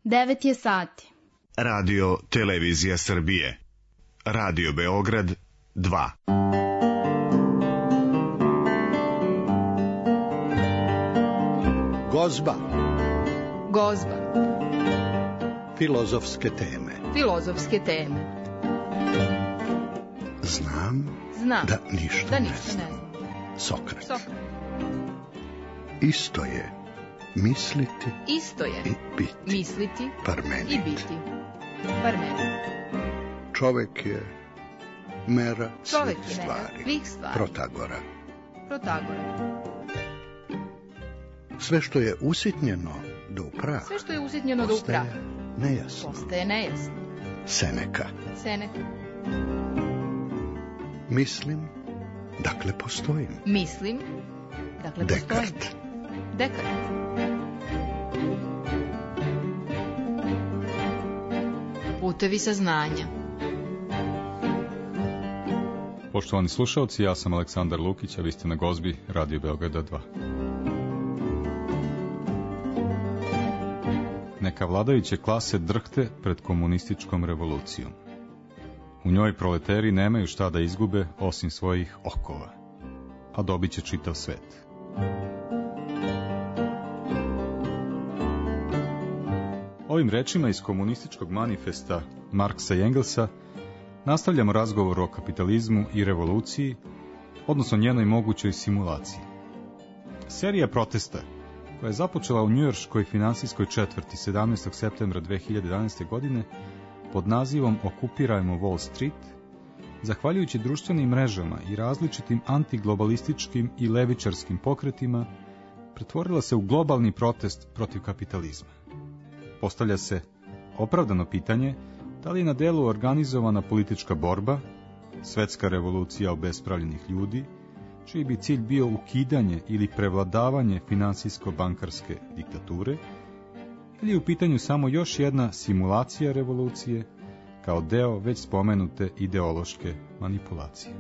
9 je sati. Radio Televizija Srbije. Radio Beograd 2. Gozba. Gozba. Filozofske teme. Filozofske teme. Znam da ništa ne znam. Sokrat. Isto je misliti i biti. Misliti par meni. i biti. Par meni. Čovek je mera Čovek svih je mera svih stvari. Protagora. Sve što je usitnjeno do upraha. Postaje nejasno. Seneka. Mislim, dakle postojim. Dekart. Putevi saznanja. Poštovani slušalci, ja sam Aleksandar Lukić, a vi ste na Gozbi Radio Beograda 2. Neka vladajuće klase drhte pred komunističkom revolucijom. U njoj proleteri nemaju šta da izgube osim svojih okova, a dobit će čitav svet. Ovim rečima iz komunističkog manifesta Marksa i Engelsa nastavljamo razgovor o kapitalizmu i revoluciji, odnosno njenoj mogućoj simulaciji. Serija protesta, koja je započela u njujorškoj finansijskoj četvrti 17. septembra 2011. godine pod nazivom Okupirajmo Wall Street, zahvaljujući društvenim mrežama i različitim antiglobalističkim i levičarskim pokretima, pretvorila se u globalni protest protiv kapitalizma. Postavlja se opravdano pitanje da li je na delu organizovana politička borba, svetska revolucija obespravljenih ljudi, čiji bi cilj bio ukidanje ili prevladavanje finansijsko-bankarske diktature, ili je u pitanju samo još jedna simulacija revolucije kao deo već spomenute ideološke manipulacije.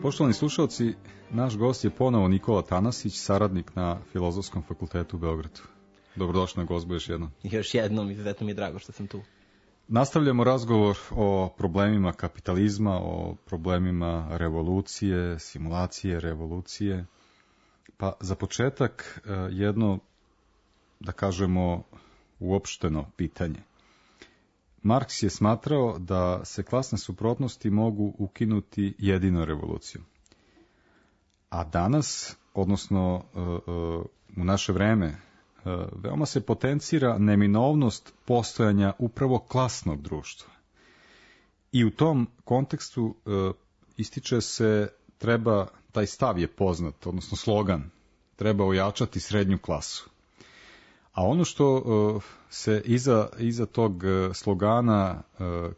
Poštovani slušalci, naš gost je ponovo Nikola Tanasić, saradnik na Filozofskom fakultetu u Beogradu. Dobrodošli na Gozbu još jednom. Još jednom, izuzetno mi je drago što sam tu. Nastavljamo razgovor o problemima kapitalizma, o problemima revolucije, simulacije revolucije. Pa za početak jedno, da kažemo, uopšteno pitanje. Marks je smatrao da se klasne suprotnosti mogu ukinuti jedino revolucijom. A danas, odnosno u naše vreme, veoma se potencira neminovnost postojanja upravo klasnog društva. I u tom kontekstu ističe se taj stav je poznat, odnosno slogan, treba ojačati srednju klasu. A ono što se iza tog slogana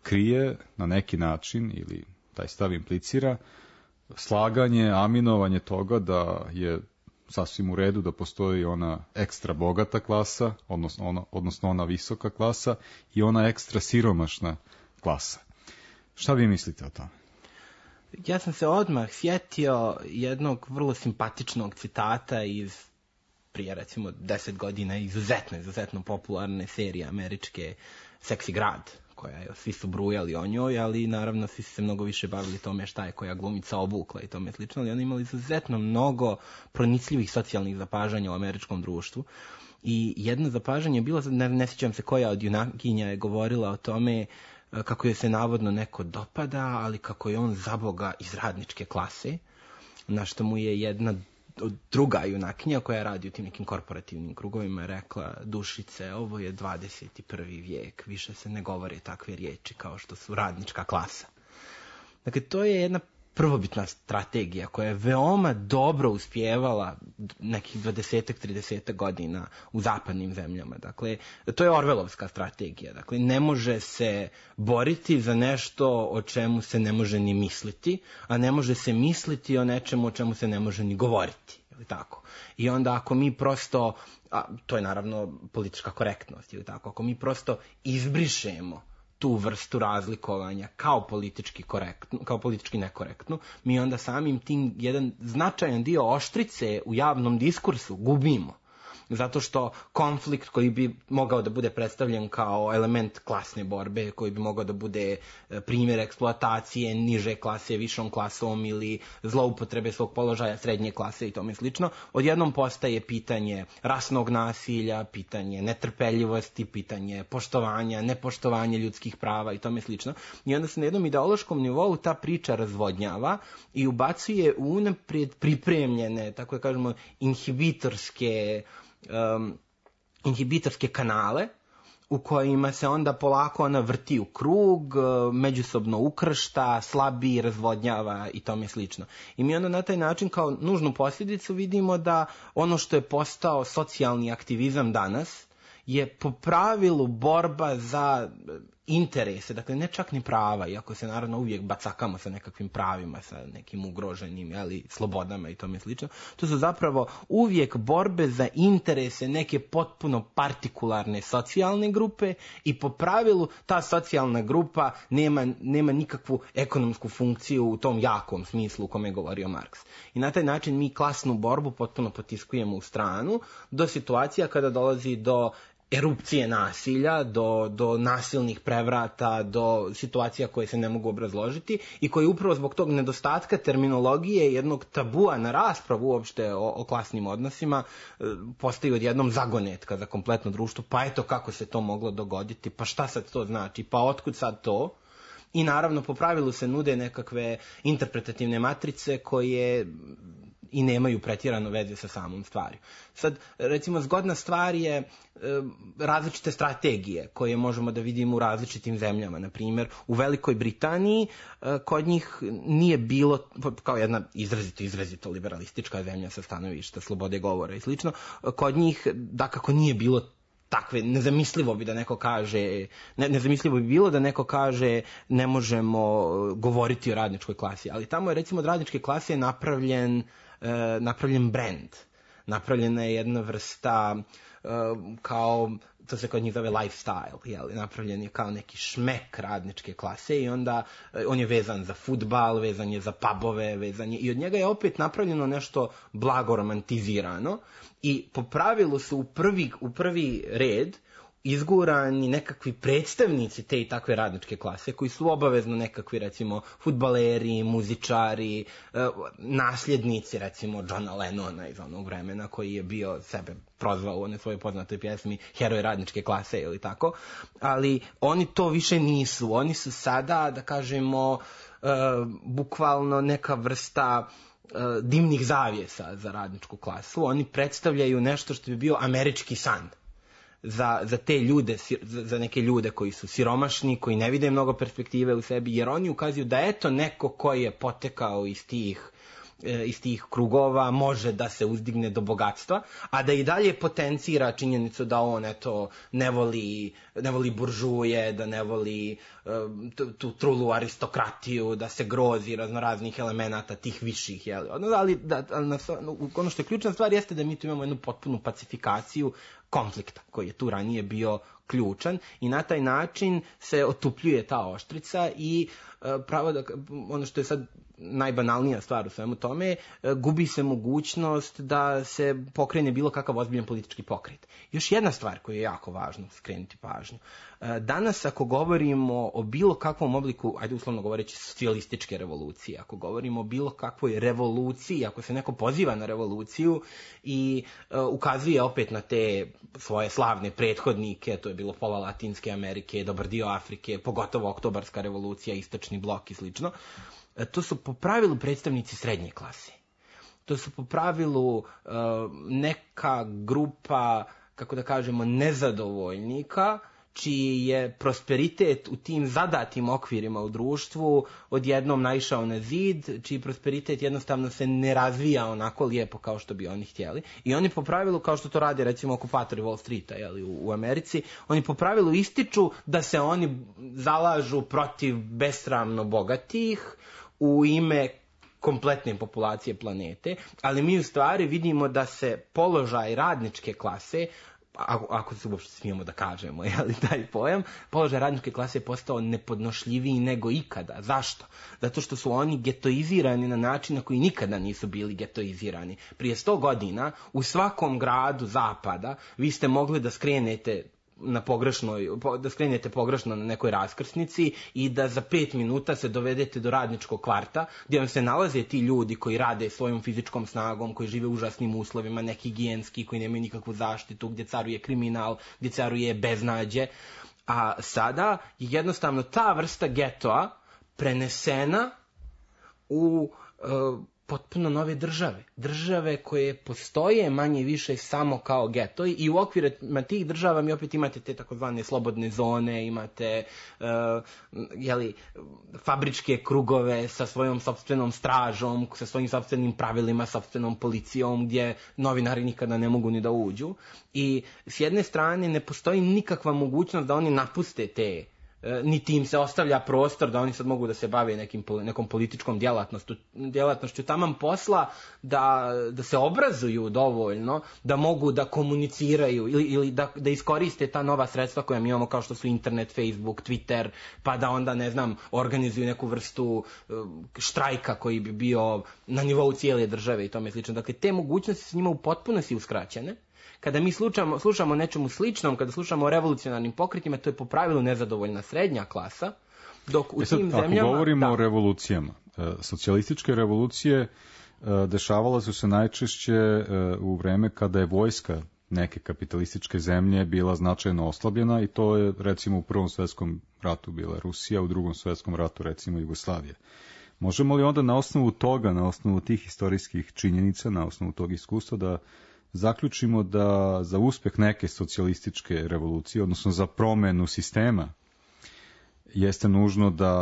krije na neki način, ili taj stav implicira, slaganje, aminovanje toga da je sasvim u redu da postoji ona ekstra bogata klasa, odnosno ona visoka klasa i ona ekstra siromašna klasa. Šta vi mislite o tome? Ja sam se odmah sjetio jednog vrlo simpatičnog citata iz prije recimo 10 godina izuzetno popularne serije američke Seksi grad, koja je, svi su brujali o njoj, ali naravno svi su se mnogo više bavili tome šta je koja glumica obukla i tome slično, ali oni imali izuzetno mnogo pronicljivih socijalnih zapažanja u američkom društvu. I jedno zapažanje je bilo, ne sjećam se koja od junakinja je govorila o tome kako je se navodno neko dopada, ali kako je on zaboga iz radničke klase, na što mu je jedna druga junakinja koja radi u tim nekim korporativnim krugovima rekla: Dušice, ovo je 21. vijek, više se ne govore takve riječi kao što su radnička klasa. Dakle, to je jedna prvobitna strategija koja je veoma dobro uspjevala nekih 20-30 godina u zapadnim zemljama. Dakle, to je Orwellovska strategija. Dakle, ne može se boriti za nešto o čemu se ne može ni misliti, a ne može se misliti o nečemu o čemu se ne može ni govoriti. Ili tako. I onda ako mi prosto, to je naravno politička korektnost, ili tako, ako mi prosto izbrišemo tu vrstu razlikovanja kao politički nekorektnu, mi onda samim tim jedan značajan dio oštrice u javnom diskursu gubimo. Zato što konflikt koji bi mogao da bude predstavljen kao element klasne borbe, koji bi mogao da bude primjer eksploatacije niže klase višom klasom ili zloupotrebe svog položaja srednje klase i tome slično, odjednom postaje pitanje rasnog nasilja, pitanje netrpeljivosti, pitanje poštovanja, nepoštovanja ljudskih prava i tome slično. I onda se na jednom ideološkom nivou ta priča razvodnjava i ubacuje u unaprijed pripremljene, tako da kažemo, inhibitorske kanale u kojima se onda polako ona vrti u krug, međusobno ukršta, slabi, razvodnjava i tome slično. I mi onda na taj način kao nužnu posljedicu vidimo da ono što je postao socijalni aktivizam danas je po pravilu borba za interese, dakle ne čak ni prava, iako se naravno uvijek bacakamo sa nekakvim pravima, sa nekim ugroženim slobodama i tome slično. To su zapravo uvijek borbe za interese neke potpuno partikularne socijalne grupe i po pravilu ta socijalna grupa nema nikakvu ekonomsku funkciju u tom jakom smislu u kome je govorio Marks. I na taj način mi klasnu borbu potpuno potiskujemo u stranu do situacija kada dolazi do erupcije nasilja, do nasilnih prevrata, do situacija koje se ne mogu obrazložiti i koje upravo zbog tog nedostatka terminologije, jednog tabua na raspravu uopšte o klasnim odnosima, postaju odjednom zagonetka za kompletno društvo. Pa eto kako se to moglo dogoditi, pa šta sad to znači, pa otkud sad to? I naravno po pravilu se nude nekakve interpretativne matrice koje i nemaju pretjerano veze sa samom stvari. Sad, recimo, zgodna stvar je različite strategije koje možemo da vidimo u različitim zemljama. Na primjer, u Velikoj Britaniji kod njih nije bilo, kao jedna izrazito liberalistička zemlja sa stanovišta slobode govora i slično, kod njih dakako nije bilo takve, nezamislivo bi bilo da neko kaže ne možemo govoriti o radničkoj klasi, ali tamo je recimo od radničke klase napravljen brand, napravljena je jedna vrsta kao, to se kod njih zove lifestyle, napravljen je kao neki šmek radničke klase i onda on je vezan za fudbal, vezan je za pubove, i od njega je opet napravljeno nešto blago romantizirano i po pravilu su u prvi red izgurani nekakvi predstavnici te i takve radničke klase koji su obavezno nekakvi recimo fudbaleri, muzičari, nasljednici recimo Johna Lennona iz onog vremena koji je bio sebe prozvao u onoj svojoj poznatoj pjesmi heroj radničke klase ili tako, ali oni to više nisu, oni su sada da kažemo bukvalno neka vrsta dimnih zavjesa za radničku klasu, oni predstavljaju nešto što bi bio američki san za te ljude, za neke ljude koji su siromašni, koji ne vide mnogo perspektive u sebi, jer oni ukazuju da eto neko koji je potekao iz tih krugova može da se uzdigne do bogatstva, a da i dalje potencira činjenicu da on eto ne voli buržuje, da ne voli tu trulu aristokratiju, da se grozi raznoraznih elemenata tih viših, ali ono što je ključna stvar jeste da mi tu imamo jednu potpunu pacifikaciju konflikta koji je tu ranije bio ključan i na taj način se otupljuje ta oštrica i pravo da, ono što je sad najbanalnija stvar u svemu tome, gubi se mogućnost da se pokrene bilo kakav ozbiljan politički pokret. Još jedna stvar koju je jako važno skrenuti pažnju. Danas ako govorimo o bilo kakvom obliku, ajde uslovno govoreći socijalističke revolucije, ako govorimo o bilo kakvoj revoluciji, ako se neko poziva na revoluciju i ukazuje opet na te svoje slavne prethodnike, to je bilo pola Latinske Amerike, dobar dio Afrike, pogotovo Oktobarska revolucija, Istočni blok i slično, to su po pravilu predstavnici srednje klase. To su po pravilu neka grupa, kako da kažemo, nezadovoljnika, čiji je prosperitet u tim zadatim okvirima u društvu odjednom naišao na zid, čiji prosperitet jednostavno se ne razvija onako lijepo kao što bi oni htjeli. I oni po pravilu, kao što to rade recimo okupatori Wall Streeta u Americi, oni po pravilu ističu da se oni zalažu protiv besramno bogatih u ime kompletne populacije planete, ali mi u stvari vidimo da se položaj radničke klase ako se uopšte smijemo da kažemo, taj pojam, položaj radničke klase je postao nepodnošljiviji nego ikada. Zašto? Zato što su oni getoizirani na način na koji nikada nisu bili getoizirani. Prije 100 godina u svakom gradu zapada vi ste mogli da skrenete pogrešno na nekoj raskrsnici i da za 5 minuta se dovedete do radničkog kvarta gdje vam se nalaze ti ljudi koji rade svojom fizičkom snagom, koji žive u užasnim uslovima, nehigijenski, koji nemaju nikakvu zaštitu, gdje caruje kriminal, gdje caruje beznađe. A sada je jednostavno ta vrsta getoa prenesena u potpuno nove države koje postoje manje više samo kao getoji i u okvirima tih država mi opet imate te takozvane slobodne zone, imate fabričke krugove sa svojom sopstvenom stražom, sa svojim sopstvenim pravilima, sopstvenom policijom gdje novinari nikada ne mogu ni da uđu i s jedne strane ne postoji nikakva mogućnost da oni napuste te, niti im se ostavlja prostor da oni sad mogu da se bave nekom političkom djelatnošću taman posla, da se obrazuju dovoljno, da mogu da komuniciraju ili da iskoriste ta nova sredstva koja mi imamo kao što su internet, Facebook, Twitter, pa da onda, ne znam, organizuju neku vrstu štrajka koji bi bio na nivou cijele države i tome slično. Dakle, te mogućnosti su njima u potpunosti uskraćene. Kada mi slušamo o nečemu sličnom, kada slušamo o revolucionarnim pokretima, to je po pravilu nezadovoljna srednja klasa, dok u tim zemljama... Ako govorimo o revolucijama, socijalističke revolucije dešavala su se najčešće u vreme kada je vojska neke kapitalističke zemlje bila značajno oslabljena i to je recimo u Prvom svjetskom ratu bila Rusija, u Drugom svjetskom ratu recimo Jugoslavija. Možemo li onda na osnovu toga, na osnovu tih historijskih činjenica, na osnovu tog iskustva da zaključimo da za uspjeh neke socijalističke revolucije, odnosno za promjenu sistema, jeste nužno da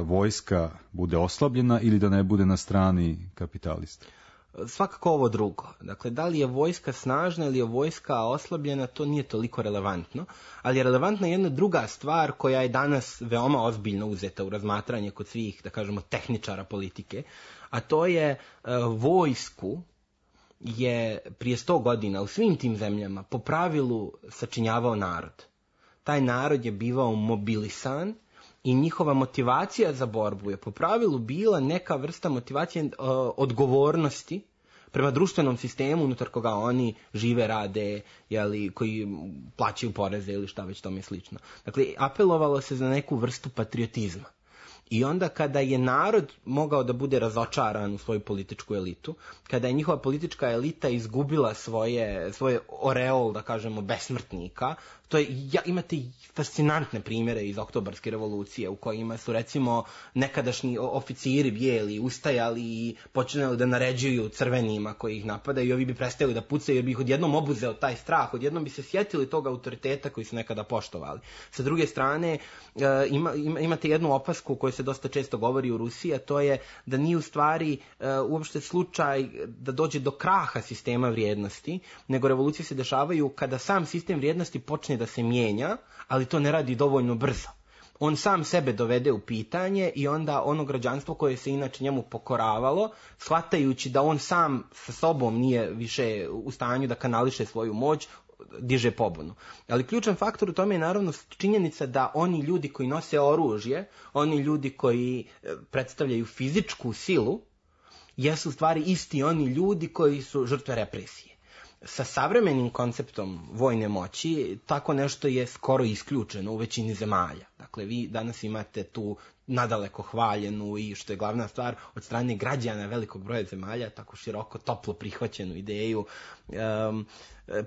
vojska bude oslabljena ili da ne bude na strani kapitalista? Svakako ovo drugo. Dakle, da li je vojska snažna ili je vojska oslabljena, to nije toliko relevantno, ali je relevantna jedna druga stvar koja je danas veoma ozbiljno uzeta u razmatranje kod svih, da kažemo, tehničara politike, a to je vojsku je prije 100 godina u svim tim zemljama po pravilu sačinjavao narod. Taj narod je bivao mobilisan i njihova motivacija za borbu je po pravilu bila neka vrsta motivacije odgovornosti prema društvenom sistemu unutar koga oni žive, rade, koji plaćaju poreze ili šta već tome slično. Dakle, apelovalo se za neku vrstu patriotizma. I onda kada je narod mogao da bude razočaran u svoju političku elitu, kada je njihova politička elita izgubila svoje oreol, da kažemo, besmrtnika, to je, imate fascinantne primjere iz Oktobarske revolucije u kojima su recimo nekadašnji oficiri bijeli ustajali i počinali da naređuju crvenima koji ih napadaju i ovi bi prestali da pucaju jer bi ih odjednom obuzeo taj strah, odjednom bi se sjetili tog autoriteta koji su nekada poštovali. Sa druge strane, imate jednu opasku o kojoj se dosta često govori u Rusiji, a to je da nije u stvari uopšte slučaj da dođe do kraha sistema vrijednosti, nego revolucije se dešavaju kada sam sistem vrijednosti počne da se mijenja, ali to ne radi dovoljno brzo. On sam sebe dovede u pitanje i onda ono građanstvo koje se inače njemu pokoravalo, shvatajući da on sam sa sobom nije više u stanju da kanališe svoju moć, diže pobunu. Ali ključan faktor u tome je naravno činjenica da oni ljudi koji nose oružje, oni ljudi koji predstavljaju fizičku silu, jesu u stvari isti oni ljudi koji su žrtve represije. Sa savremenim konceptom vojne moći tako nešto je skoro isključeno u većini zemalja. Dakle, vi danas imate tu nadaleko hvaljenu i, što je glavna stvar, od strane građana velikog broja zemalja, tako široko, toplo prihvaćenu ideju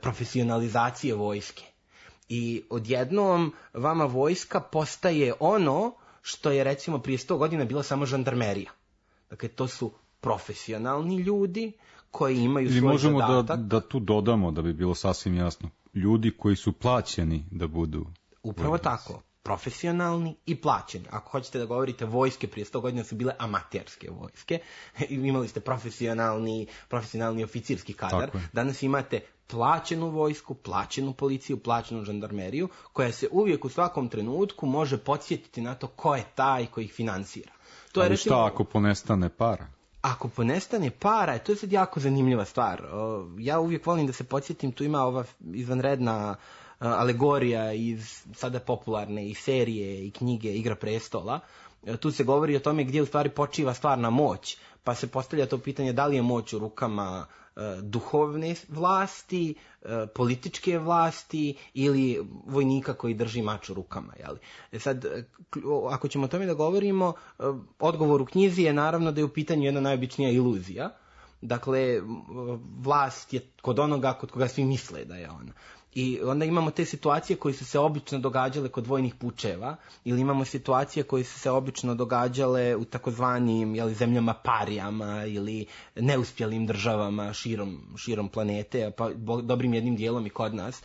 profesionalizacije vojske. I odjednom vama vojska postaje ono što je recimo prije 100 godina bila samo žandarmerija. Dakle, to su profesionalni ljudi koji imaju svoj zadatak. Ili možemo da tu dodamo, da bi bilo sasvim jasno, ljudi koji su plaćeni da budu upravo vojnici. Tako, profesionalni i plaćeni. Ako hoćete da govorite, vojske prije 100 godina su bile amaterske vojske. Imali ste profesionalni oficirski kadar. Danas imate plaćenu vojsku, plaćenu policiju, plaćenu žandarmeriju, koja se uvijek u svakom trenutku može podsjetiti na to ko je taj koji ih finansira. To je, recimo, šta ako ponestane para? ako ponestane para, to je sad jako zanimljiva stvar. Ja uvijek volim da se podsjetim, tu ima ova izvanredna alegorija iz sada popularne i serije i knjige Igra prestola. Tu se govori o tome gdje u stvari počiva stvarna moć, pa se postavlja to pitanje da li je moć u rukama duhovne vlasti, političke vlasti ili vojnika koji drži mač u rukama. Jeli? Sad, ako ćemo o tome da govorimo, odgovor u knjizi je naravno da je u pitanju jedna najobičnija iluzija. Dakle, vlast je kod onoga kod koga svi misle da je ona. I onda imamo te situacije koje su se obično događale kod vojnih pučeva, ili imamo situacije koje su se obično događale u takozvanim zemljama parijama ili neuspjelim državama širom planete, pa dobrim jednim dijelom i kod nas.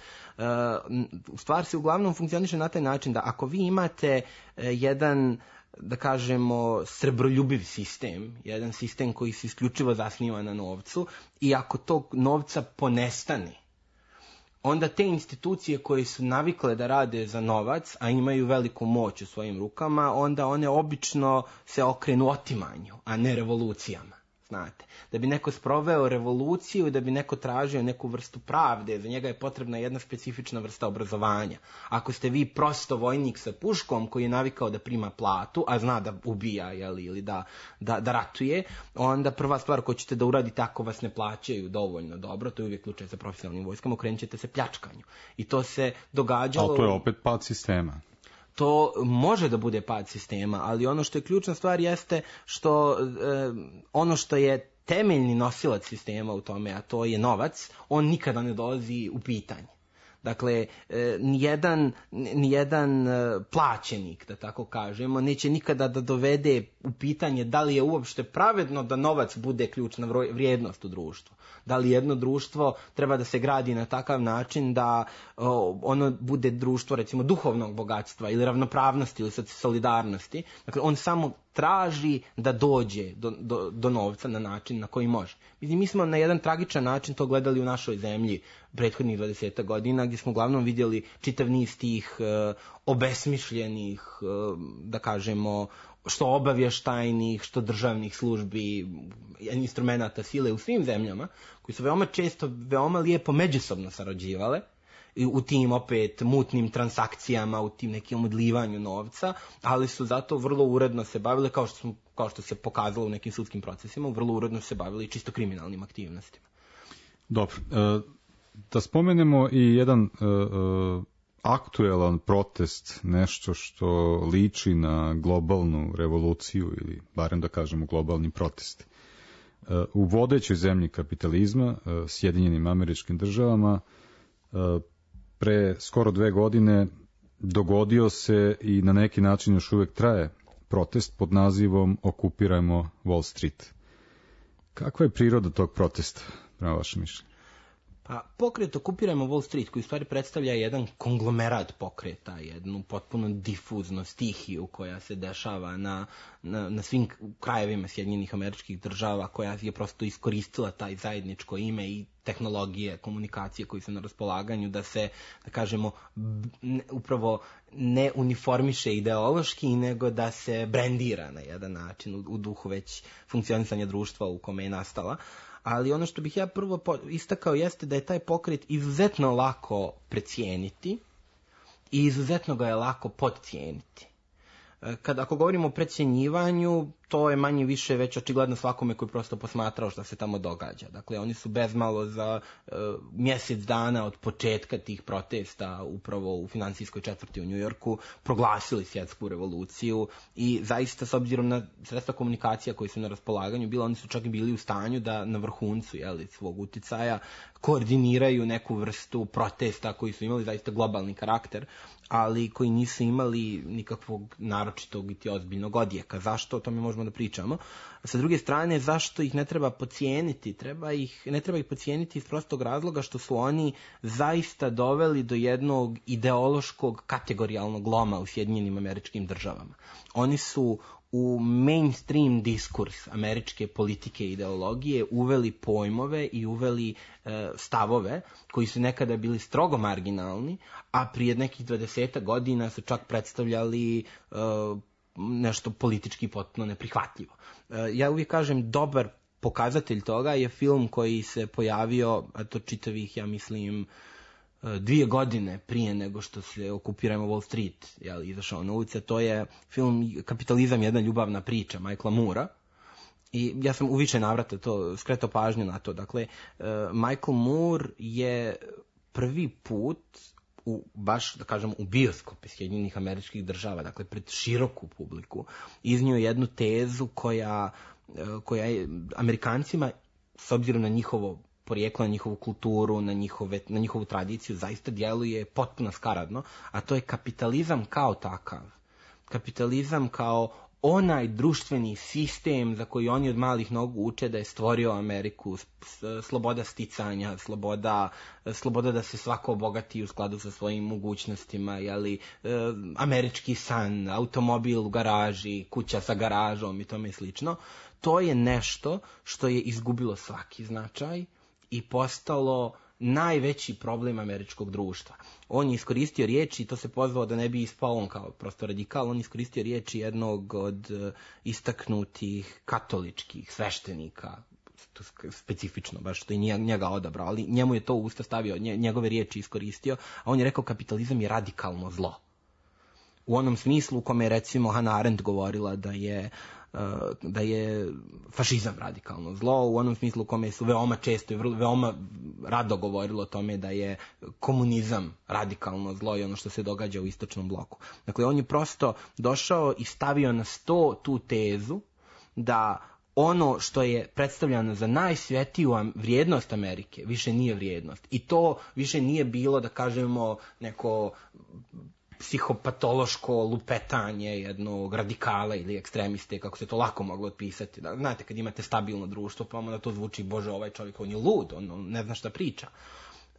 Stvar se uglavnom funkcioniše na taj način da ako vi imate jedan, da kažemo, srebroljubiv sistem, jedan sistem koji se isključivo zasniva na novcu, i ako tog novca ponestane, onda te institucije koje su navikle da rade za novac, a imaju veliku moć u svojim rukama, onda one obično se okrenu otimanju, a ne revolucijama. Znate, da bi neko sproveo revoluciju, da bi neko tražio neku vrstu pravde, za njega je potrebna jedna specifična vrsta obrazovanja. Ako ste vi prosto vojnik sa puškom koji je navikao da prima platu, a zna da ubija ili da ratuje, onda prva stvar koju ćete da uradite ako vas ne plaćaju dovoljno dobro, to je uvijek slučaj sa profesionalnim vojskama, okrenut ćete se pljačkanju. I to se događalo... Ali to je opet pad sistema. To može da bude pad sistema, ali ono što je ključna stvar jeste što ono što je temeljni nosilac sistema u tome, a to je novac, on nikada ne dolazi u pitanje. Dakle, nijedan plaćenik, da tako kažemo, neće nikada da dovede u pitanje da li je uopšte pravedno da novac bude ključna vrijednost u društvu. Da li jedno društvo treba da se gradi na takav način da ono bude društvo, recimo, duhovnog bogatstva ili ravnopravnosti ili solidarnosti. Dakle, on samo traži da dođe do novca na način na koji može. Mi smo na jedan tragičan način to gledali u našoj zemlji prethodnih 20 godina, gdje smo uglavnom vidjeli čitav niz tih obesmišljenih, da kažemo, što obavještajnih, što državnih službi, instrumenata sile u svim zemljama, koji su veoma često, veoma lijepo međusobno sarađivale u tim opet mutnim transakcijama, u tim nekim odlivanju novca, ali su zato vrlo uredno se bavile, kao što se pokazalo u nekim sudskim procesima, vrlo uredno se bavili čisto kriminalnim aktivnostima. Dobro, da spomenemo i jedan aktuelan protest, nešto što liči na globalnu revoluciju ili barem da kažemo globalni protest. U vodećoj zemlji kapitalizma, Sjedinjenim Američkim Državama, pre skoro 2 godine dogodio se i na neki način još uvijek traje protest pod nazivom Okupirajmo Wall Street. Kakva je priroda tog protesta, prema vašem mišljenju? Pa pokret Okupirajmo Wall Street, koji u stvari predstavlja jedan konglomerat pokreta, jednu potpuno difuznu stihiju koja se dešava na svim krajevima Sjedinjenih Američkih Država, koja je prosto iskoristila taj zajedničko ime i tehnologije, komunikacije koji su na raspolaganju da se, da kažemo, upravo ne uniformiše ideološki, nego da se brendira na jedan način u duhu već funkcionisanja društva u kome je nastala. Ali ono što bih ja prvo istakao jeste da je taj pokret izuzetno lako precijeniti i izuzetno ga je lako podcijeniti. Ako govorimo o precjenjivanju, to je manje više već očigledno svakome koji prosto posmatrao što se tamo događa. Dakle, oni su bezmalo za mjesec dana od početka tih protesta upravo u finansijskoj četvrti u Njujorku proglasili svjetsku revoluciju i zaista s obzirom na sredstva komunikacija koji su na raspolaganju oni su čak i bili u stanju da na vrhuncu svog uticaja koordiniraju neku vrstu protesta koji su imali zaista globalni karakter, ali koji nisu imali nikakvog naročitog i ozbiljnog odjeka. Zašto? O tome možemo da pričamo. Sa druge strane, zašto ih ne treba podcijeniti? Ne treba ih podcijeniti iz prostog razloga što su oni zaista doveli do jednog ideološkog kategorijalnog loma u Sjedinjenim Američkim Državama. Oni su u mainstream diskurs američke politike i ideologije uveli pojmove i uveli stavove koji su nekada bili strogo marginalni, a prije nekih 20 godina su čak predstavljali nešto politički potpuno neprihvatljivo. Ja uvijek kažem, dobar pokazatelj toga je film koji se pojavio, a to čitavih, ja mislim, 2 godine prije nego što se okupiramo Wall Street, izašao na ulice. To je film Kapitalizam, jedna ljubavna priča Michaela Moora. I ja sam u više navrata to skretao pažnju na to. Dakle, Michael Moore je prvi put baš, da kažem, u bioskope Sjedinjenih Američkih Država, dakle, pred široku publiku, iznio jednu tezu koja je Amerikancima, s obzirom na njihovo porijeklo, na njihovu kulturu, na njihovu tradiciju, zaista djeluje potpuno skaradno, a to je kapitalizam kao takav. Kapitalizam kao onaj društveni sistem za koji oni od malih nogu uče da je stvorio Ameriku, sloboda sticanja, sloboda da se svako obogati u skladu sa svojim mogućnostima, američki san, automobil u garaži, kuća sa garažom i tome slično. To je nešto što je izgubilo svaki značaj i postalo najveći problem američkog društva. On je iskoristio riječi, to se pozvao da ne bi ispao on kao prosto radikal, on je iskoristio riječi jednog od istaknutih katoličkih sveštenika, specifično, baš što je njega odabrao, ali njemu je to u usta stavio, njegove riječi iskoristio, a on je rekao kapitalizam je radikalno zlo. U onom smislu u kome je recimo Hannah Arendt govorila da je fašizam radikalno zlo, u onom smislu u kome su veoma često i veoma rado govorilo o tome da je komunizam radikalno zlo i ono što se događa u istočnom bloku. Dakle, on je prosto došao i stavio na sto tu tezu da ono što je predstavljano za najsvetiju vrijednost Amerike više nije vrijednost. I to više nije bilo, da kažemo, neko psihopatološko lupetanje jednog radikala ili ekstremiste, kako se to lako moglo otpisati. Znate, kad imate stabilno društvo, pa onda to zvuči, bože, ovaj čovjek, on je lud, on ne zna šta priča.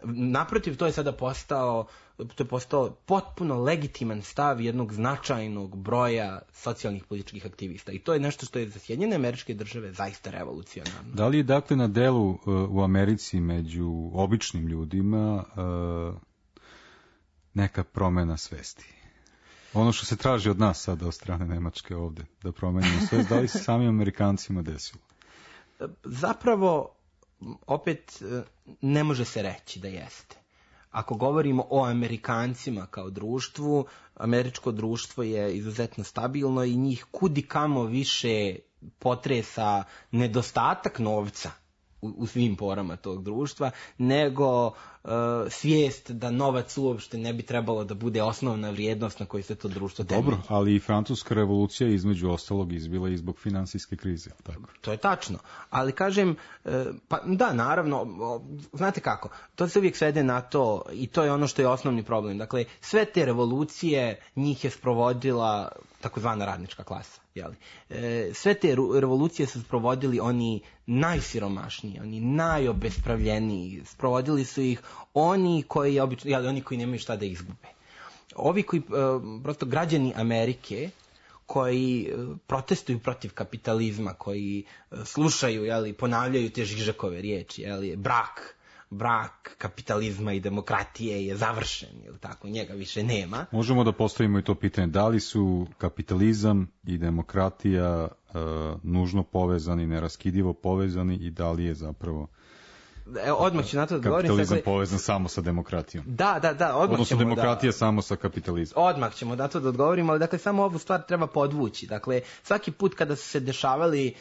Naprotiv, to je sada postao potpuno legitiman stav jednog značajnog broja socijalnih političkih aktivista. I to je nešto što je za Sjedinjene Američke Države zaista revolucionarno. Da li je dakle na delu u Americi među običnim ljudima neka promjena svesti? Ono što se traži od nas sada od strane Nemačke ovdje, da promenimo svest, da li se samim Amerikancima desilo? Zapravo, opet, ne može se reći da jeste. Ako govorimo o Amerikancima kao društvu, američko društvo je izuzetno stabilno i njih kudikamo više potresa nedostatak novca u svim porama tog društva, nego svijest da novac uopšte ne bi trebalo da bude osnovna vrijednost na kojoj se to društvo temelji. Dobro, ali i francuska revolucija između ostalog izbila i zbog finansijske krize. Tako. To je tačno, ali kažem, pa da, naravno, znate kako, to se uvijek svede na to i to je ono što je osnovni problem. Dakle, sve te revolucije njih je sprovodila takozvana radnička klasa. Sve te revolucije su sprovodili oni najsiromašniji, oni najobespravljeniji, sprovodili su ih oni koji nemaju šta da izgube. Ovi koji, prosto građani Amerike, koji protestuju protiv kapitalizma, koji slušaju, ponavljaju te Žižekove riječi, brak kapitalizma i demokratije je završen, tako, njega više nema. Možemo da postavimo i to pitanje, da li su kapitalizam i demokratija nužno povezani, neraskidivo povezani i da li je zapravo odmah ću na to da govorim. Kapitalizam povezan samo sa demokratijom. Da, odmah odnosno ćemo demokratija samo sa kapitalizmom. Odmah ćemo na to da odgovorimo, ali dakle samo ovu stvar treba podvući. Dakle, svaki put kada su se dešavali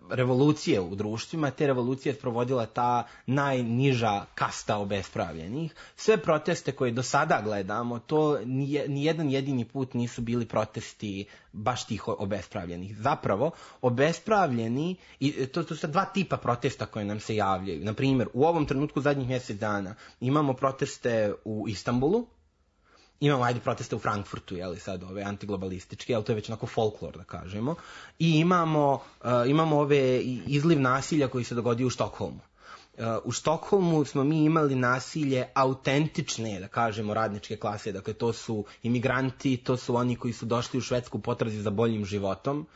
revolucije u društvima, te revolucije sprovodila ta najniža kasta obespravljenih. Sve proteste koje do sada gledamo, to ni jedan jedini put nisu bili protesti baš tih obespravljenih. Zapravo, obespravljeni, i to su dva tipa protesta koje nam se javljaju. Na primjer, u ovom trenutku zadnjih mjesec dana imamo proteste u Istanbulu, imamo proteste u Frankfurtu, sad ove antiglobalističke, ali to je već onako folklor, da kažemo, i imamo ove izliv nasilja koji se dogodio u Štokholmu. U Štokholmu smo mi imali nasilje autentične, da kažemo, radničke klase, dakle to su imigranti, to su oni koji su došli u Švedsku u potrazi za boljim životom,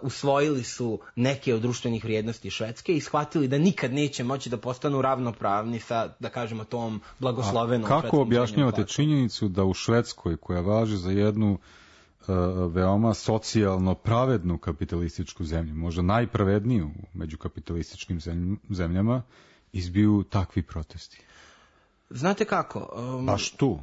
usvojili su neke od društvenih vrijednosti Švedske i shvatili da nikad neće moći da postanu ravnopravni sa, da kažemo, tom blagoslovenom. A kako objašnjavate činjenicu da u Švedskoj, koja važi za jednu veoma socijalno pravednu kapitalističku zemlju, možda najpravedniju među kapitalističkim zemljama, izbiju takvi protesti? Znate kako? Baš tu,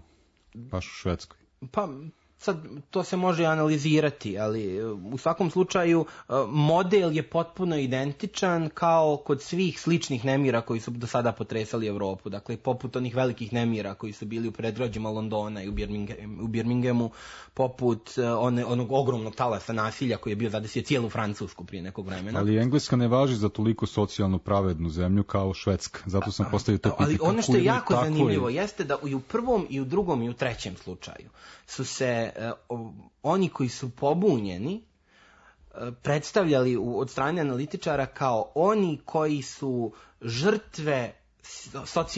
baš u Švedskoj. Pa sad to se može analizirati, ali u svakom slučaju model je potpuno identičan kao kod svih sličnih nemira koji su do sada potresali Evropu. Dakle, poput onih velikih nemira koji su bili u predgrađima Londona i u Birminghamu, poput onog ogromnog talasa nasilja koji je bio zadesio cijelu Francusku prije nekog vremena. Ali Engleska ne važi za toliko socijalno pravednu zemlju kao Švedska. Zato sam postavio to pitanje. Ali ono što je jako zanimljivo jeste da i u prvom, i u drugom, i u trećem slučaju su se oni koji su pobunjeni predstavljali od strane analitičara kao oni koji su žrtve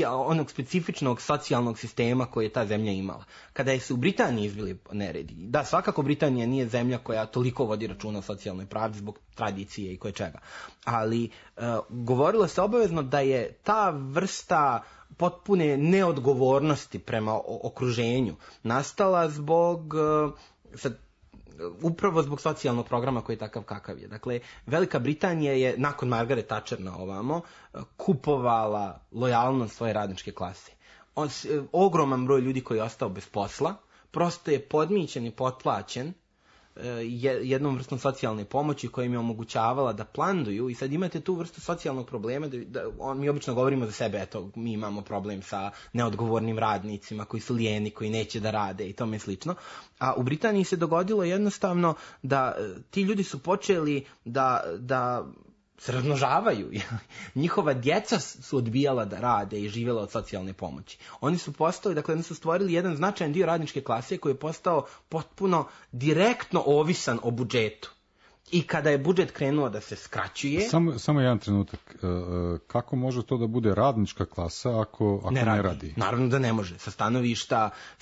onog specifičnog socijalnog sistema koje je ta zemlja imala. Kada su u Britaniji izbili neredi, da, svakako Britanija nije zemlja koja toliko vodi računa o socijalnoj pravdi zbog tradicije i koje čega, ali govorilo se obavezno da je ta vrsta potpune neodgovornosti prema okruženju nastala upravo zbog socijalnog programa koji je takav kakav je. Dakle, Velika Britanija je nakon Margaret Thatcher na ovamo kupovala lojalnost svoje radničke klase. Ogroman broj ljudi koji je ostao bez posla prosto je podmićen i potplaćen jednom vrstom socijalne pomoći koja im je omogućavala da planduju, i sad imate tu vrstu socijalnog problema mi obično govorimo za sebe, eto, mi imamo problem sa neodgovornim radnicima koji su lijeni, koji neće da rade i tome slično, a u Britaniji se dogodilo jednostavno da ti ljudi su počeli da se razmnožavaju. Njihova djeca su odbijala da rade i živjela od socijalne pomoći. Oni su stvorili jedan značajan dio radničke klase koji je postao potpuno direktno ovisan o budžetu. I kada je budžet krenuo da se skraćuje... Samo jedan trenutak. Kako može to da bude radnička klasa ako ne radi? Naravno da ne može. Sa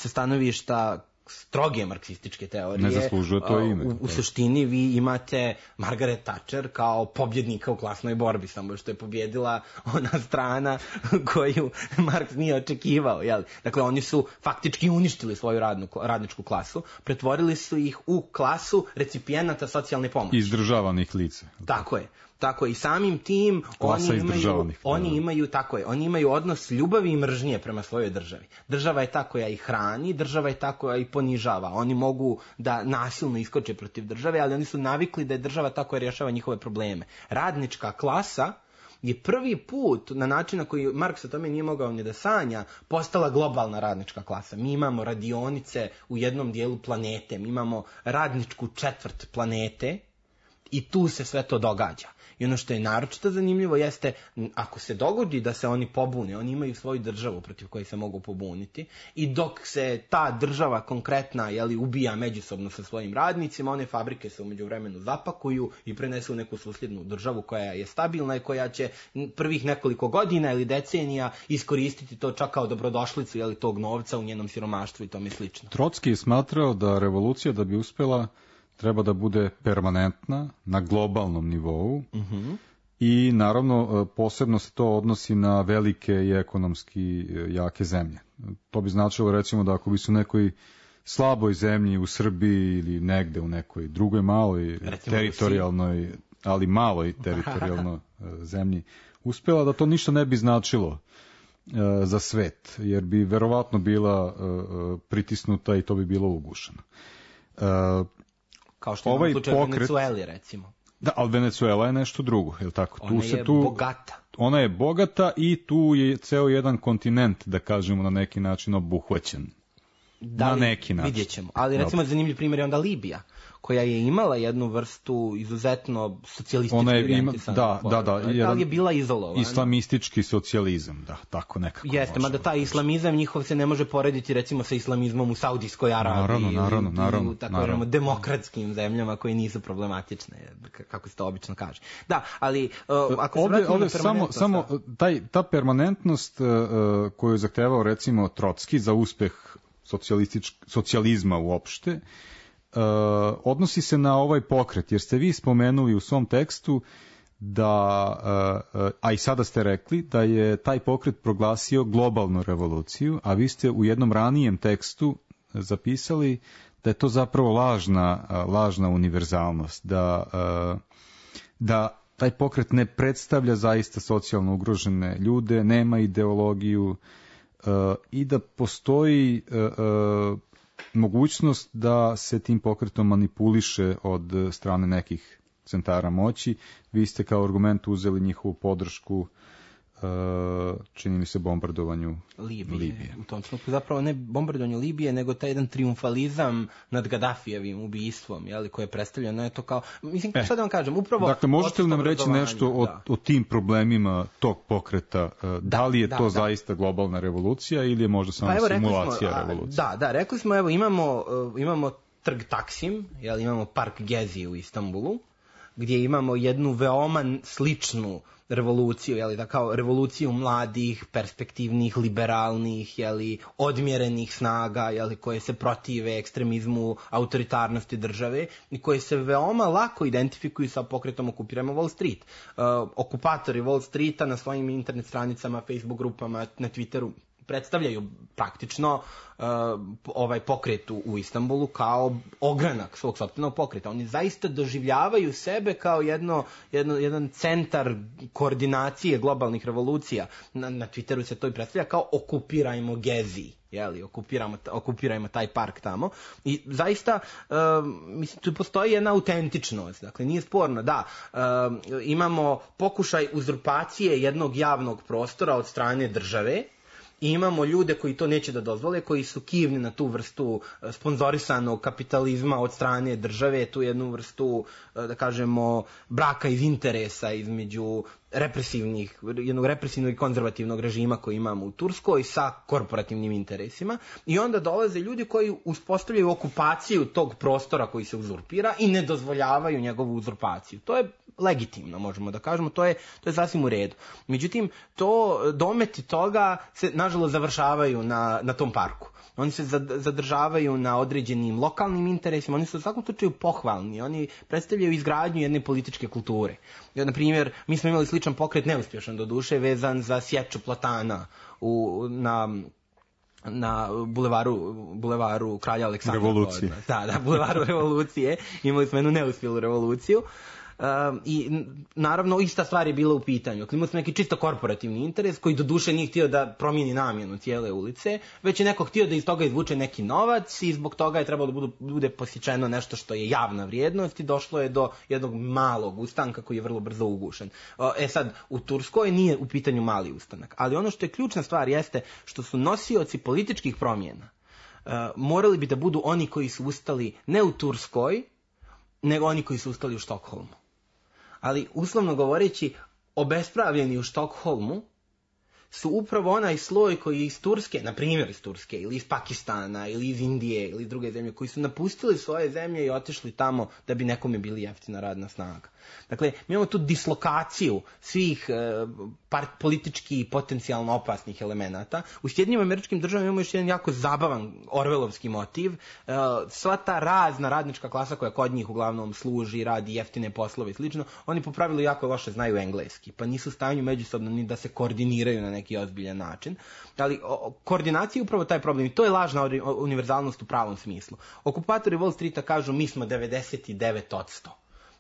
stanovišta stroge marksističke teorije. Ne zaslužuje to ime. U suštini vi imate Margaret Thatcher kao pobjednika u klasnoj borbi, samo što je pobjedila ona strana koju Marks nije očekivao. Jel? Dakle, oni su faktički uništili svoju radničku klasu, pretvorili su ih u klasu recipijenata socijalne pomoći. Izdržavanih lica. Tako je. Tako i samim tim oni imaju odnos ljubavi i mržnje prema svojoj državi. Država je ta koja ih hrani, država je ta koja ih ponižava. Oni mogu da nasilno iskoče protiv države, ali oni su navikli da je država ta koja rješava njihove probleme. Radnička klasa je prvi put, na način na koji Marks o tome nije mogao ni da sanja, postala globalna radnička klasa. Mi imamo radionice u jednom dijelu planete, mi imamo radničku četvrt planete i tu se sve to događa. I ono što je naročito zanimljivo jeste, ako se dogodi da se oni pobune, oni imaju svoju državu protiv koje se mogu pobuniti, i dok se ta država konkretna ubija međusobno sa svojim radnicima, one fabrike se u međuvremenu zapakuju i prenesu u neku susjednu državu koja je stabilna i koja će prvih nekoliko godina ili decenija iskoristiti to čak kao dobrodošlicu tog novca u njenom siromaštvu i tome slično. Trotski je smatrao da revolucija, da bi uspjela, treba da bude permanentna, na globalnom nivou, i naravno posebno se to odnosi na velike i ekonomski jake zemlje. To bi značilo recimo da ako bi su u nekoj slaboj zemlji u Srbiji ili negde u nekoj drugoj maloj teritorijalnoj, ali maloj teritorijalnoj zemlji uspjela, da to ništa ne bi značilo za svet, jer bi verovatno bila pritisnuta i to bi bilo ugušeno. Kao što imamo slučaj u Venecueli, recimo. Da, ali Venecuela je nešto drugo, je li tako? Ona je bogata. Ona je bogata i tu je ceo jedan kontinent, da kažemo, na neki način obuhvaćen. Na neki način. Vidjet ćemo. Ali recimo zanimljiv primjer je onda Libija, koja je imala jednu vrstu izuzetno socijalistički orijentisana. Ali je bila izolovana. Islamistički socijalizam, da, tako nekako. Jeste, mada taj islamizam njihov se ne može porediti recimo sa islamizmom u Saudijskoj Arabiji. Naravno. U tako demokratskim zemljama koje nisu problematične, kako se to obično kaže. Da, ali ako se vratimo na permanentnost... Samo ta permanentnost koju je zahtevao recimo Trotski za uspeh socijalizma uopšte, odnosi se na ovaj pokret, jer ste vi spomenuli u svom tekstu da, a i sada ste rekli, da je taj pokret proglasio globalnu revoluciju, a vi ste u jednom ranijem tekstu zapisali je to zapravo lažna univerzalnost, da taj pokret ne predstavlja zaista socijalno ugrožene ljude, nema ideologiju i da postoji mogućnost da se tim pokretom manipuliše od strane nekih centara moći. Vi ste kao argument uzeli njihovu podršku, čini mi se, bombardovanju Libije. U tom trenutku zapravo ne bombardovanju Libije, nego taj jedan triumfalizam nad Gaddafijevim ubistvom, koje je predstavljeno, je to kao, mislim, šta da vam kažem, upravo... Dakle, možete li nam reći nešto o tim problemima tog pokreta? Da li je to zaista globalna revolucija ili je možda samo simulacija revolucije? Da, rekli smo, evo, imamo trg Taksim, imamo park Gezi u Istanbulu, gdje imamo jednu veoma sličnu revoluciju, da kao revoluciju mladih, perspektivnih, liberalnih, odmjerenih snaga, koje se protive ekstremizmu, autoritarnosti države i koje se veoma lako identifikuju sa pokretom Okupirajmo Wall Street. Okupatori Wall Streeta na svojim internet stranicama, Facebook grupama, na Twitteru predstavljaju praktično ovaj pokret u Istanbulu kao ogranak svog sopstvenog pokreta. Oni zaista doživljavaju sebe kao jedan centar koordinacije globalnih revolucija. Na Twitteru se to i predstavlja kao okupirajmo Gezi. Okupirajmo taj park tamo. I zaista, mislim, tu postoji jedna autentičnost. Dakle, nije sporno, da, imamo pokušaj uzurpacije jednog javnog prostora od strane države, i imamo ljude koji to neće da dozvole, koji su kivni na tu vrstu sponzorisanog kapitalizma od strane države, tu jednu vrstu, da kažemo, braka iz interesa između jednog represivnog i konzervativnog režima koji imamo u Turskoj sa korporativnim interesima, i onda dolaze ljudi koji uspostavljaju okupaciju tog prostora koji se uzurpira i ne dozvoljavaju njegovu uzurpaciju. To je legitimno, možemo da kažemo, to je sasvim u redu. Međutim, dometi toga se nažalost završavaju na tom parku. Oni se zadržavaju na određenim lokalnim interesima, oni su u svakom slučaju pohvalni, oni predstavljaju izgradnju jedne političke kulture. Na primjer, mi smo imali sličan pokret, neuspješan doduše, vezan za sječu platana na bulevaru Kralja Aleksandra. Revolucije. Da, bulevaru Revolucije. Imali smo jednu neuspjelu revoluciju. I naravno ista stvar je bila u pitanju. Imali smo neki čisto korporativni interes koji doduše nije htio da promijeni namjenu cijele ulice, već je neko htio da iz toga izvuče neki novac i zbog toga je trebalo da bude posjećeno nešto što je javna vrijednost i došlo je do jednog malog ustanka koji je vrlo brzo ugušen. Sad, u Turskoj nije u pitanju mali ustanak, ali ono što je ključna stvar jeste što su nosioci političkih promjena morali bi da budu oni koji su ustali ne u Turskoj, nego oni koji su ustali u Štokholmu. Ali, uslovno govoreći, obespravljeni u Štokholmu su upravo onaj sloj koji je iz Turske, na primjer iz Turske, ili iz Pakistana, ili iz Indije, ili iz druge zemlje, koji su napustili svoje zemlje i otišli tamo da bi nekome bili jeftina radna snaga. Dakle, mi imamo tu dislokaciju svih politički i potencijalno opasnih elemenata. U Sjedinjenim Američkim Državama imamo još jedan jako zabavan orvelovski motiv. Sva ta razna radnička klasa koja kod njih uglavnom služi, radi jeftine poslove i slično, oni po pravilu jako loše znaju engleski, pa nisu u stanju međusobno ni da se koordiniraju na neki ozbiljan način. Ali koordinacija je upravo taj problem i to je lažna univerzalnost u pravom smislu. Okupatori Wall Streeta kažu mi smo 99%.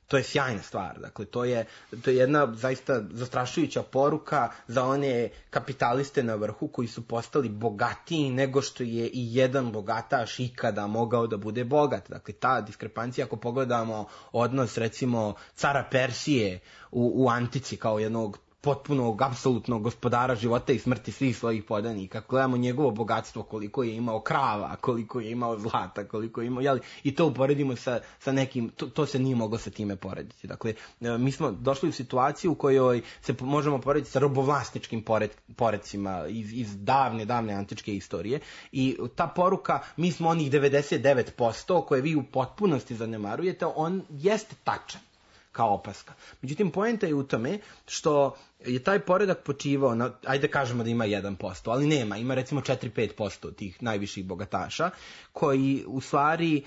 To je sjajna stvar, dakle to je jedna zaista zastrašujuća poruka za one kapitaliste na vrhu koji su postali bogatiji nego što je i jedan bogataš ikada mogao da bude bogat. Dakle, ta diskrepancija, ako pogledamo odnos recimo cara Persije u antici kao jednog potpunog, apsolutnog gospodara života i smrti svih svojih podanika. Gledamo njegovo bogatstvo, koliko je imao krava, koliko je imao zlata, koliko je imao, i to uporedimo sa nekim, to se nije moglo sa time porediti. Dakle, mi smo došli u situaciju u kojoj se možemo porediti sa robovlasničkim poredcima iz davne antičke istorije i ta poruka, mi smo onih 99% koje vi u potpunosti zanemarujete, on jeste tačan kao opaska. Međutim, poenta je u tome što je taj poredak počivao na, ajde kažemo da ima 1%, ali nema, ima recimo 4-5% tih najviših bogataša, koji u stvari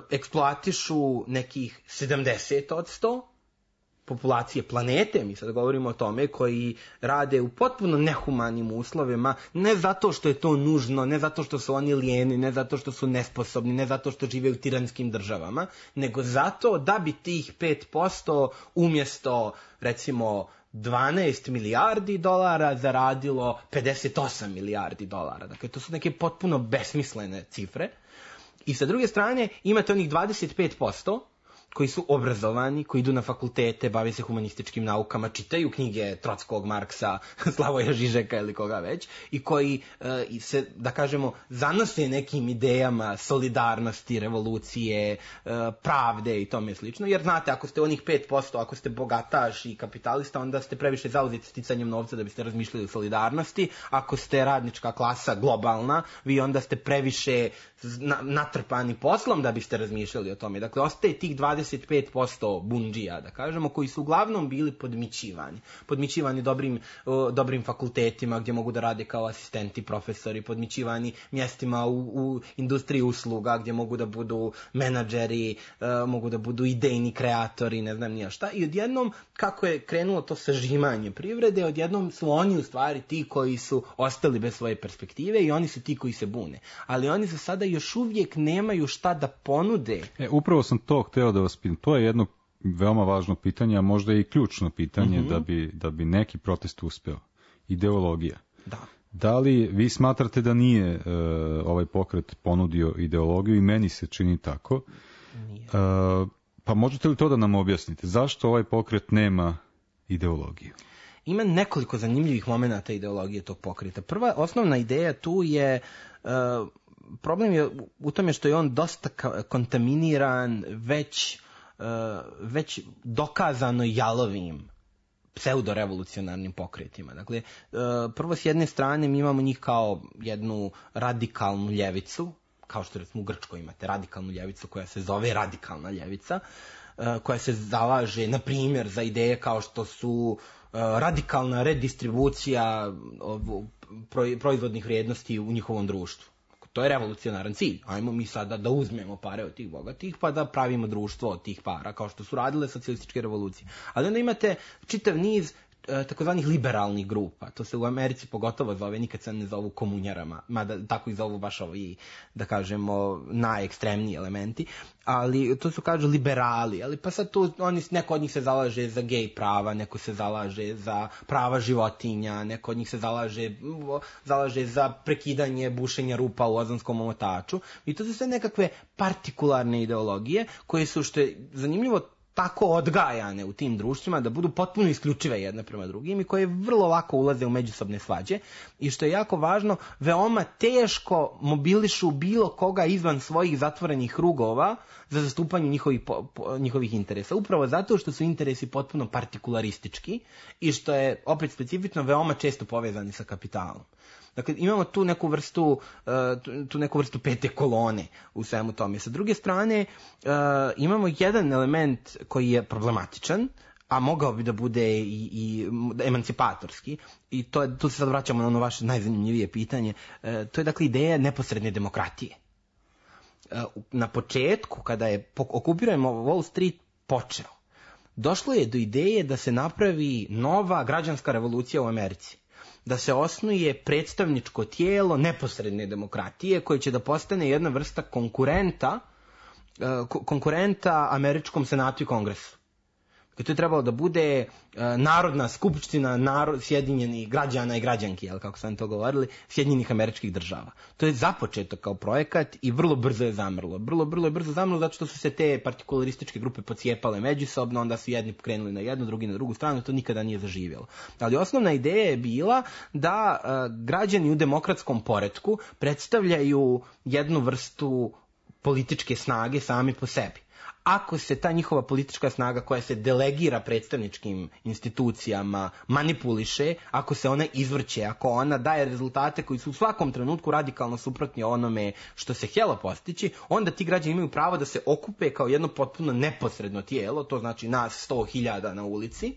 eksploatišu nekih 70% populacije planete, mi sad govorimo o tome, koji rade u potpuno nehumanim uslovima, ne zato što je to nužno, ne zato što su oni lijeni, ne zato što su nesposobni, ne zato što žive u tiranskim državama, nego zato da bi tih 5% umjesto, recimo, 12 milijardi dolara zaradilo 58 milijardi dolara. Dakle, to su neke potpuno besmislene cifre. I sa druge strane, imate onih 25% koji su obrazovani, koji idu na fakultete, bave se humanističkim naukama, čitaju knjige Trockog, Marksa, Slavoja Žižeka ili koga već, i koji se, da kažemo, zanose nekim idejama solidarnosti, revolucije, pravde i tome slično. Jer znate, ako ste onih 5%, ako ste bogataš i kapitalista, onda ste previše zauzeti sticanjem novca da biste razmišljali o solidarnosti. Ako ste radnička klasa globalna, vi onda ste previše natrpani poslom da biste razmišljali o tome. Dakle, ostaje tih 25% bundžija, da kažemo, koji su uglavnom bili podmićivani. Podmićivani dobrim fakultetima gdje mogu da rade kao asistenti, profesori, podmićivani mjestima u industriji usluga gdje mogu da budu menadžeri, mogu da budu idejni kreatori, ne znam nija šta. I odjednom, kako je krenulo to sažimanje privrede, odjednom su oni u stvari ti koji su ostali bez svoje perspektive i oni su ti koji se bune. Ali oni za sada još uvijek nemaju šta da ponude. Upravo sam to hteo da vas pitam. To je jedno veoma važno pitanje, a možda i ključno pitanje da bi neki protest uspeo. Ideologija. Da. Da li vi smatrate da nije ovaj pokret ponudio ideologiju, i meni se čini tako. Nije. Pa možete li to da nam objasnite? Zašto ovaj pokret nema ideologiju? Ima nekoliko zanimljivih momenata ideologije tog pokreta. Prva, osnovna ideja tu je, problem je u tome što je on dosta kontaminiran već dokazano jalovim pseudorevolucionarnim pokretima. Dakle, prvo s jedne strane mi imamo njih kao jednu radikalnu ljevicu, kao što recimo u Grčkoj imate radikalnu ljevicu koja se zove radikalna ljevica, koja se zalaže, na primjer, za ideje kao što su radikalna redistribucija proizvodnih vrijednosti u njihovom društvu. To je revolucionaran cilj. Ajmo mi sada da uzmemo pare od tih bogatih pa da pravimo društvo od tih para, kao što su radile socijalističke revolucije. Ali onda imate čitav niz takozvanih liberalnih grupa. To se u Americi pogotovo zove, nikad se ne zovu komunjarama, mada tako i zovu baš ovi, da kažemo, najekstremniji elementi, ali to su, kažu, liberali, ali pa sad tu neko od njih se zalaže za gej prava, neko se zalaže za prava životinja, neko od njih se zalaže za prekidanje bušenja rupa u ozonskom omotaču, i to su sve nekakve partikularne ideologije koje su, što je zanimljivo, tako odgajane u tim društvima da budu potpuno isključive jedne prema drugim i koje vrlo lako ulaze u međusobne svađe i, što je jako važno, veoma teško mobilišu bilo koga izvan svojih zatvorenih krugova za zastupanje njihovih interesa. Upravo zato što su interesi potpuno partikularistički i što je, opet specifično, veoma često povezani sa kapitalom. Dakle, imamo tu neku vrstu pete kolone u svemu tome. Sa druge strane, imamo jedan element koji je problematičan, a mogao bi da bude i emancipatorski, i tu se sad vraćamo na ono vaše najzanimljivije pitanje, to je, dakle, ideja neposredne demokratije. Na početku, kada je okupirano Wall Street počeo, došlo je do ideje da se napravi nova građanska revolucija u Americi. Da se osnuje predstavničko tijelo neposredne demokratije koje će da postane jedna vrsta konkurenta američkom senatu i kongresu. To je trebalo da bude narodna skupština sjedinjenih građana i građanki, kako sam to govorili, Sjedinjenih Američkih Država. To je započeto kao projekat i vrlo brzo je zamrlo. Vrlo je brzo zamrlo zato što su se te partikularističke grupe pocijepale međusobno, onda su jedni krenuli na jednu, drugi na drugu stranu, to nikada nije zaživjelo. Ali osnovna ideja je bila da građani u demokratskom poretku predstavljaju jednu vrstu političke snage sami po sebi. Ako se ta njihova politička snaga koja se delegira predstavničkim institucijama manipuliše, ako se ona izvrće, ako ona daje rezultate koji su u svakom trenutku radikalno suprotni onome što se htjelo postići, onda ti građani imaju pravo da se okupe kao jedno potpuno neposredno tijelo, to znači nas 100.000 na ulici,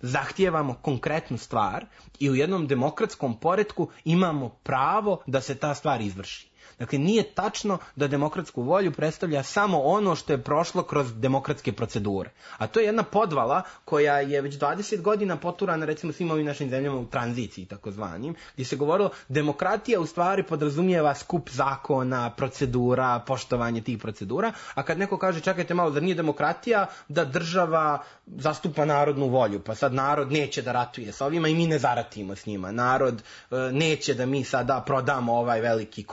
zahtijevamo konkretnu stvar i u jednom demokratskom poretku imamo pravo da se ta stvar izvrši. Dakle, nije tačno da demokratsku volju predstavlja samo ono što je prošlo kroz demokratske procedure. A to je jedna podvala koja je već 20 godina poturana, recimo, svim ovim našim zemljama u tranziciji, takozvanim, gdje se govorilo demokratija u stvari podrazumijeva skup zakona, procedura, poštovanje tih procedura, a kad neko kaže čekajte malo, zar nije demokratija da država zastupa narodnu volju, pa sad narod neće da ratuje sa ovima i mi ne zaratimo s njima, narod neće da mi sada prodamo ovaj veliki,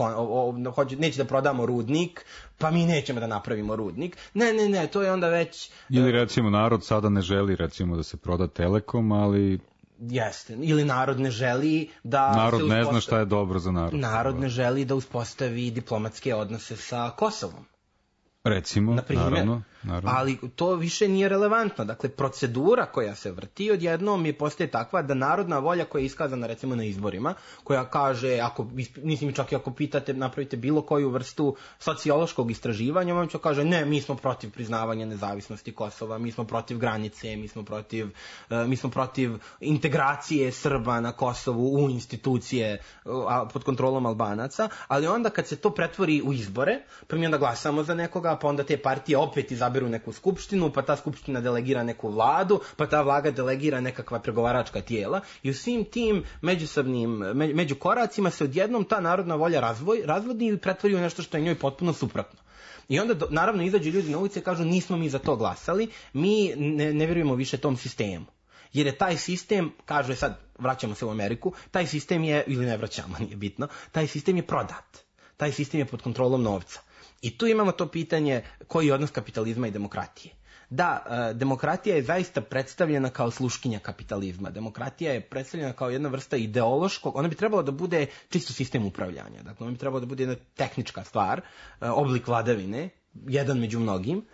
neće da prodamo rudnik, pa mi nećemo da napravimo rudnik. Ne, to je onda već... Ili recimo narod sada ne želi recimo da se proda Telekom, ali... Jeste, ili narod ne želi da... Narod ne zna šta je dobro za narod. Narod ne želi da uspostavi diplomatske odnose sa Kosovom. Recimo, naravno. Ali to više nije relevantno. Dakle, procedura koja se vrti odjednom je postaje takva da narodna volja koja je iskazana recimo na izborima, koja kaže, čak i ako pitate, napravite bilo koju vrstu sociološkog istraživanja, vam će kaže, ne, mi smo protiv priznavanja nezavisnosti Kosova, mi smo protiv granice, mi smo protiv integracije Srba na Kosovu u institucije pod kontrolom Albanaca, ali onda kad se to pretvori u izbore, pa mi onda glasamo za nekoga, pa onda te partije opet izaberu neku skupštinu, pa ta skupština delegira neku vladu, pa ta vlada delegira nekakva pregovaračka tijela i u svim tim među koracima se odjednom ta narodna volja razvodi i pretvori u nešto što je njoj potpuno suprotno. I onda naravno izađu ljudi na ulice i kažu nismo mi za to glasali, mi ne vjerujemo više tom sistemu. Jer je taj sistem, kaže sad, vraćamo se u Ameriku, taj sistem je, ili ne vraćamo, nije bitno, taj sistem je prodat. Taj sistem je pod kontrolom novca. I tu imamo to pitanje koji je odnos kapitalizma i demokratije. Da, demokratija je zaista predstavljena kao sluškinja kapitalizma. Demokratija je predstavljena kao jedna vrsta ideološkog, ona bi trebala da bude čisto sistem upravljanja. Dakle, ona bi trebala da bude jedna tehnička stvar, oblik vladavine, jedan među mnogim.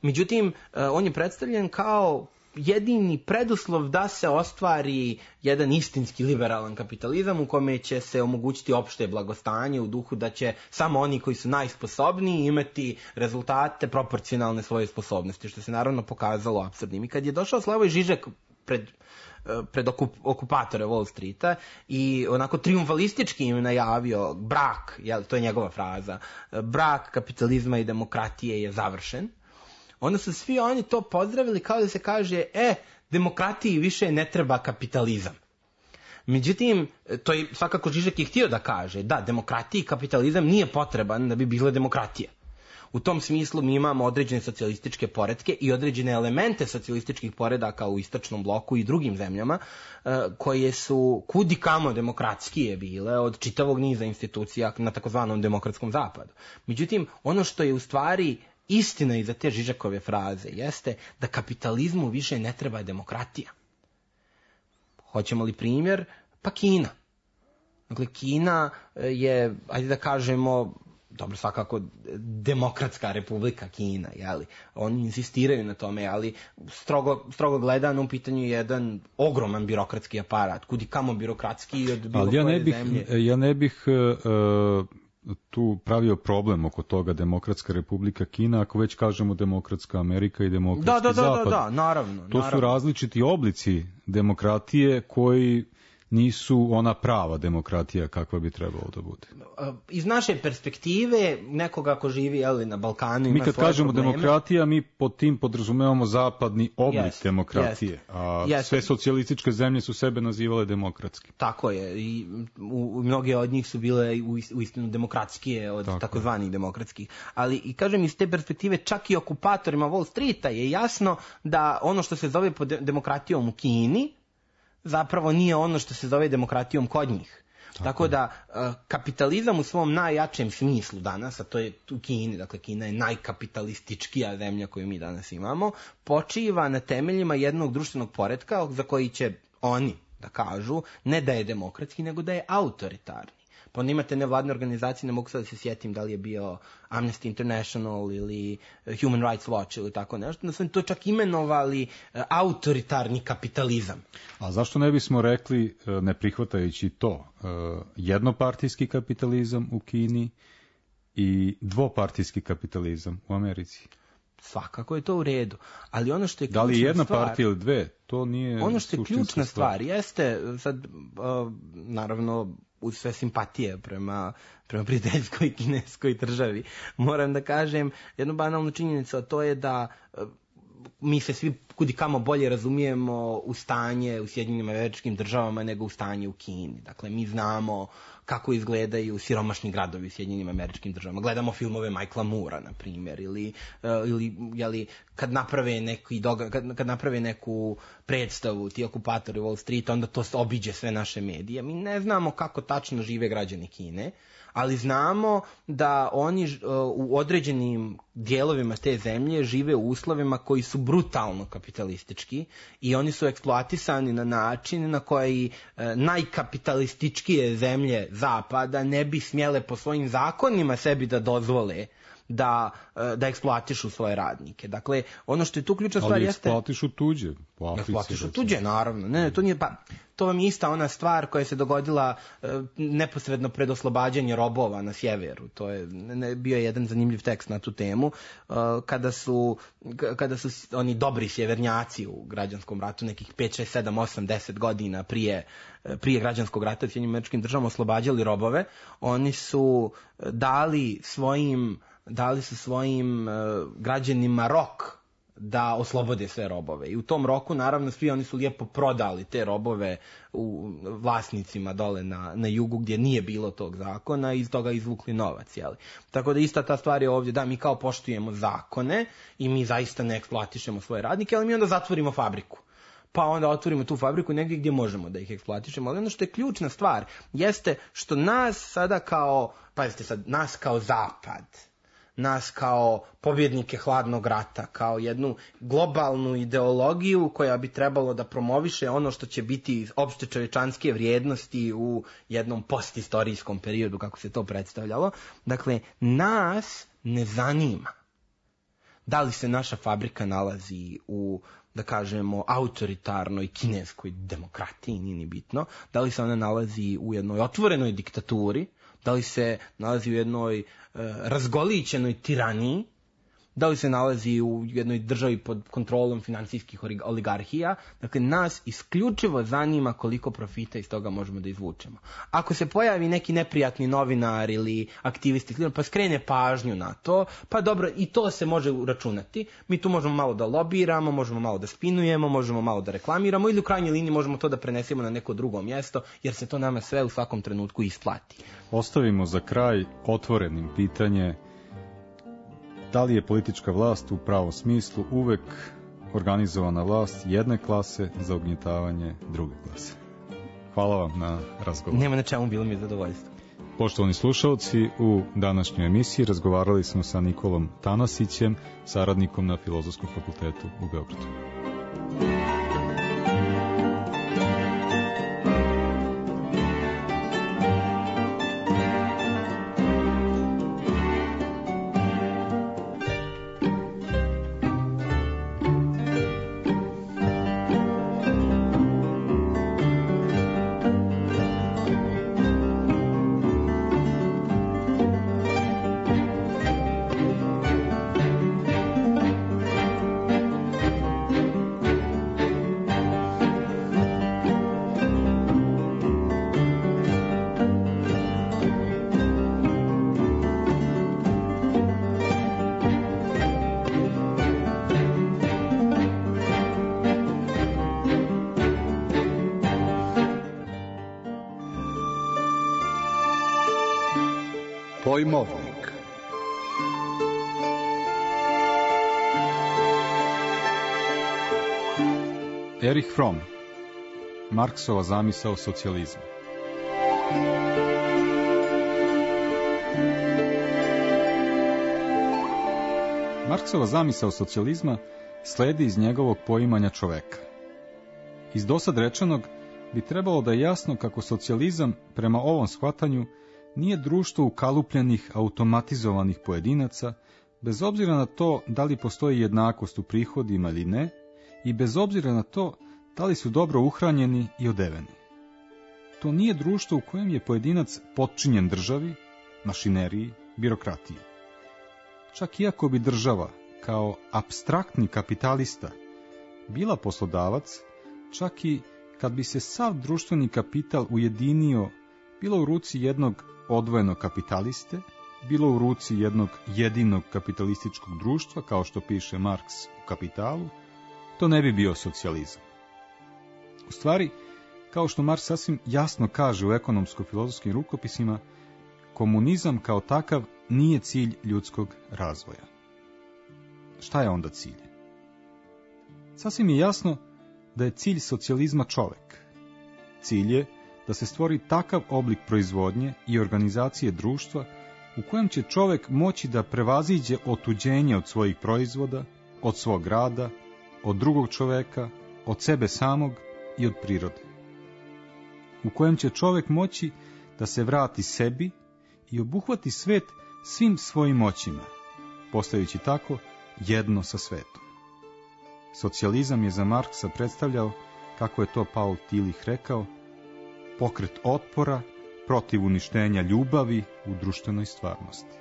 Međutim, on je predstavljen kao jedini preduslov da se ostvari jedan istinski liberalan kapitalizam u kome će se omogućiti opšte blagostanje u duhu da će samo oni koji su najsposobniji imati rezultate proporcionalne svoje sposobnosti, što se naravno pokazalo apsurdnim. I kad je došao Slavoj Žižek pred okupatore Wall Streeta i onako triumfalistički im najavio brak, to je njegova fraza, brak kapitalizma i demokratije je završen, onda su svi oni to pozdravili kao da se kaže, demokratiji više ne treba kapitalizam. Međutim, to je svakako Žižek je htio da kaže, da, demokratiji i kapitalizam nije potreban da bi bila demokratija. U tom smislu mi imamo određene socijalističke poretke i određene elemente socijalističkih poredaka u istočnom bloku i drugim zemljama koje su kudikamo demokratskije bile od čitavog niza institucija na takozvanom demokratskom zapadu. Međutim, ono što je u stvari istina iza te Žižekove fraze jeste da kapitalizmu više ne treba demokratija. Hoćemo li primjer? Pa Kina. Dakle, Kina je, ajde da kažemo, dobro, svakako demokratska republika Kina, jeli? Oni insistiraju na tome, ali strogo gledano u pitanju je jedan ogroman birokratski aparat, kudikamo birokratski od bilo koje zemlje. Ja ne bih tu pravio problem oko toga demokratska republika Kina, ako već kažemo demokratska Amerika i demokratski zapad. Da, naravno. To su različiti oblici demokratije koji nisu ona prava demokratija kakva bi trebalo da bude. Iz naše perspektive, nekoga ko živi na Balkanu ima mi kad kažemo probleme. Demokratija, mi pod tim podrazumevamo zapadni oblik demokratije, a sve socijalističke zemlje su sebe nazivale demokratski. Tako je, i mnoge od njih su bile uistinu demokratskije od takozvanih demokratskih. Ali, i kažem, iz te perspektive, čak i okupatorima Wall Streeta je jasno da ono što se zove demokratijom u Kini zapravo nije ono što se zove demokratijom kod njih. Tako da kapitalizam u svom najjačem smislu danas, a to je u Kini, dakle Kina je najkapitalističkija zemlja koju mi danas imamo, počiva na temeljima jednog društvenog poretka za koji će oni da kažu ne da je demokratski, nego da je autoritarni. Pa onda imate nevladne organizacije, ne mogu sad da se sjetim da li je bio Amnesty International ili Human Rights Watch ili tako nešto, da su to čak imenovali autoritarni kapitalizam. A zašto ne bismo rekli, ne prihvatajući to, jednopartijski kapitalizam u Kini i dvopartijski kapitalizam u Americi? Svakako je to u redu, ali ono što je ključna stvar... Da li jedna stvar, partija ili dve, to nije ono što je ključna stvar jeste, sad, naravno, uz sve simpatije prema prijateljskoj kineskoj državi, moram da kažem jednu banalnu činjenicu, a to je da mi se svi kudikamo bolje razumijemo u stanje u Sjedinjenim Američkim Državama nego u stanje u Kini. Dakle, mi znamo kako izgledaju siromašni gradovi u Sjedinjenim Američkim Državama. Gledamo filmove Michaela Moora, na primjer, ili kad naprave neku predstavu ti okupatori Wall Street, onda to obiđe sve naše medije. Mi ne znamo kako tačno žive građani Kine, ali znamo da oni u određenim dijelovima te zemlje žive u uslovima koji su brutalno kapitalistički i oni su eksploatisani na način na koji najkapitalističkije zemlje zapada ne bi smjele po svojim zakonima sebi da dozvole da eksploatišu svoje radnike. Dakle, ono što je tu ključna stvar jeste... Ali eksploatišu tuđe. Eksploatišu tuđe, naravno. Ne, to nije... To vam je ista ona stvar koja se dogodila neposredno pred oslobađanje robova na sjeveru. To je bio jedan zanimljiv tekst na tu temu. Kada su oni dobri sjevernjaci u građanskom ratu, nekih 5, 6, 7, 8, 10 godina prije građanskog rata u Sjedinjenim Američkim Državama oslobađali robove, oni su dali su svojim građanima rok da oslobode sve robove. I u tom roku, naravno, svi oni su lijepo prodali te robove u vlasnicima dole na jugu gdje nije bilo tog zakona i iz toga izvukli novac. Jeli? Tako da ista ta stvar je ovdje, da, mi kao poštujemo zakone i mi zaista ne eksploatišemo svoje radnike, ali mi onda zatvorimo fabriku. Pa onda otvorimo tu fabriku negdje gdje možemo da ih eksploatišemo. Ali ono što je ključna stvar jeste što nas sada nas kao zapad, nas kao pobjednike hladnog rata, kao jednu globalnu ideologiju koja bi trebalo da promoviše ono što će biti opšte čovječanske vrijednosti u jednom postistorijskom periodu, kako se to predstavljalo. Dakle, nas ne zanima da li se naša fabrika nalazi u, da kažemo, autoritarnoj kineskoj demokratiji, nije ni bitno, da li se ona nalazi u jednoj otvorenoj diktaturi, da li se nalazi u jednoj razgolićenoj tiraniji, da li se nalazi u jednoj državi pod kontrolom financijskih oligarhija. Dakle, nas isključivo zanima koliko profita iz toga možemo da izvučemo. Ako se pojavi neki neprijatni novinar ili aktivisti, pa skrene pažnju na to, pa dobro, i to se može uračunati. Mi tu možemo malo da lobiramo, možemo malo da spinujemo, možemo malo da reklamiramo ili u krajnjoj liniji možemo to da prenesemo na neko drugo mjesto, jer se to nama sve u svakom trenutku isplati. Ostavimo za kraj otvorenim pitanje: da li je politička vlast u pravom smislu uvek organizovana vlast jedne klase za ugnjetavanje druge klase? Hvala vam na razgovoru. Nema na čemu, bilo mi je zadovoljstvo. Poštovani slušalci, u današnjoj emisiji razgovarali smo sa Nikolom Tanasićem, saradnikom na Filozofskom fakultetu u Beogradu. Pojmovnik. Erich Fromm, Marksova zamisao socijalizma. Marksova zamisao socijalizma sledi iz njegovog poimanja čoveka. Iz dosad rečenog bi trebalo da je jasno kako socijalizam prema ovom shvatanju nije društvo ukalupljenih, automatizovanih pojedinaca, bez obzira na to da li postoji jednakost u prihodima ili ne, i bez obzira na to da li su dobro uhranjeni i odeveni. To nije društvo u kojem je pojedinac potčinjen državi, mašineriji, birokratiji. Čak iako bi država, kao apstraktni kapitalista, bila poslodavac, čak i kad bi se sav društveni kapital ujedinio bilo u ruci jednog odvojenog kapitaliste, bilo u ruci jednog jedinog kapitalističkog društva, kao što piše Marks u Kapitalu, to ne bi bio socijalizam. U stvari, kao što Marks sasvim jasno kaže u ekonomsko-filozofskim rukopisima, komunizam kao takav nije cilj ljudskog razvoja. Šta je onda cilj? Sasvim je jasno da je cilj socijalizma čovek. Cilj je da se stvori takav oblik proizvodnje i organizacije društva u kojem će čovek moći da prevaziđe otuđenje od svojih proizvoda, od svog rada, od drugog čoveka, od sebe samog i od prirode. U kojem će čovek moći da se vrati sebi i obuhvati svet svim svojim moćima, postajući tako jedno sa svetom. Socijalizam je za Marksa predstavljao, kako je to Paul Tillich rekao, pokret otpora protiv uništenja ljubavi u društvenoj stvarnosti.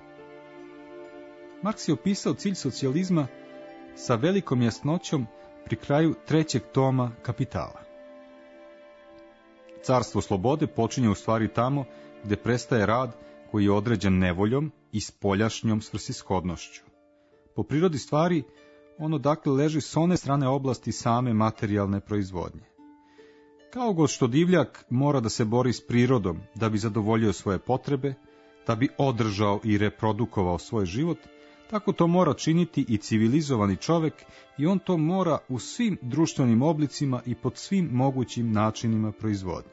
Marks je opisao cilj socijalizma sa velikom jasnoćom pri kraju 3. toma Kapitala. Carstvo slobode počinje u stvari tamo gde prestaje rad koji je određen nevoljom i spoljašnjom svrsishodnošću. Po prirodi stvari, ono dakle leži s one strane oblasti same materijalne proizvodnje. Kao god što divljak mora da se bori s prirodom da bi zadovoljio svoje potrebe, da bi održao i reprodukovao svoj život, tako to mora činiti i civilizovani čovek i on to mora u svim društvenim oblicima i pod svim mogućim načinima proizvodnje.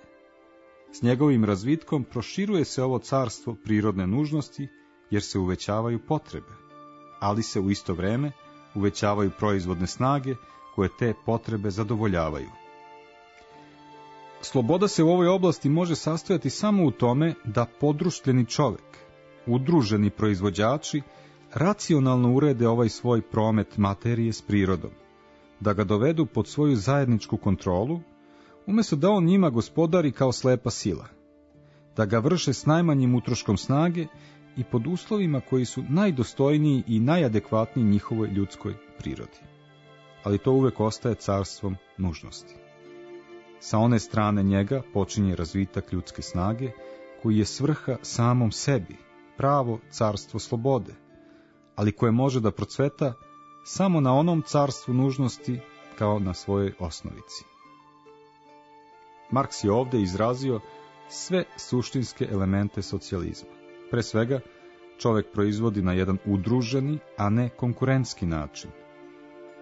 S njegovim razvitkom proširuje se ovo carstvo prirodne nužnosti jer se uvećavaju potrebe, ali se u isto vreme uvećavaju proizvodne snage koje te potrebe zadovoljavaju. Sloboda se u ovoj oblasti može sastojati samo u tome da podruštveni čovek, udruženi proizvođači, racionalno urede ovaj svoj promet materije s prirodom, da ga dovedu pod svoju zajedničku kontrolu, umjesto da on njima gospodari kao slepa sila, da ga vrše s najmanjim utroškom snage i pod uslovima koji su najdostojniji i najadekvatniji njihovoj ljudskoj prirodi. Ali to uvek ostaje carstvom nužnosti. Sa one strane njega počinje razvitak ljudske snage, koji je svrha samom sebi, pravo carstvo slobode, ali koje može da procveta samo na onom carstvu nužnosti kao na svojoj osnovici. Marks je ovdje izrazio sve suštinske elemente socijalizma. Pre svega, čovek proizvodi na jedan udruženi, a ne konkurentski način.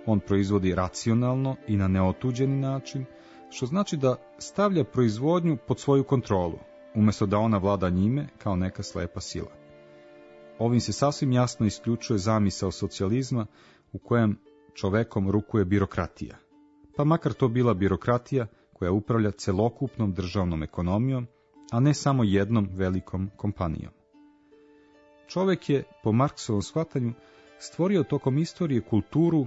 On proizvodi racionalno i na neotuđeni način, što znači da stavlja proizvodnju pod svoju kontrolu, umjesto da ona vlada njime kao neka slepa sila. Ovim se sasvim jasno isključuje zamisao socijalizma u kojem čovekom rukuje birokratija, pa makar to bila birokratija koja upravlja celokupnom državnom ekonomijom, a ne samo jednom velikom kompanijom. Čovek je, po Marksovom shvatanju, stvorio tokom istorije kulturu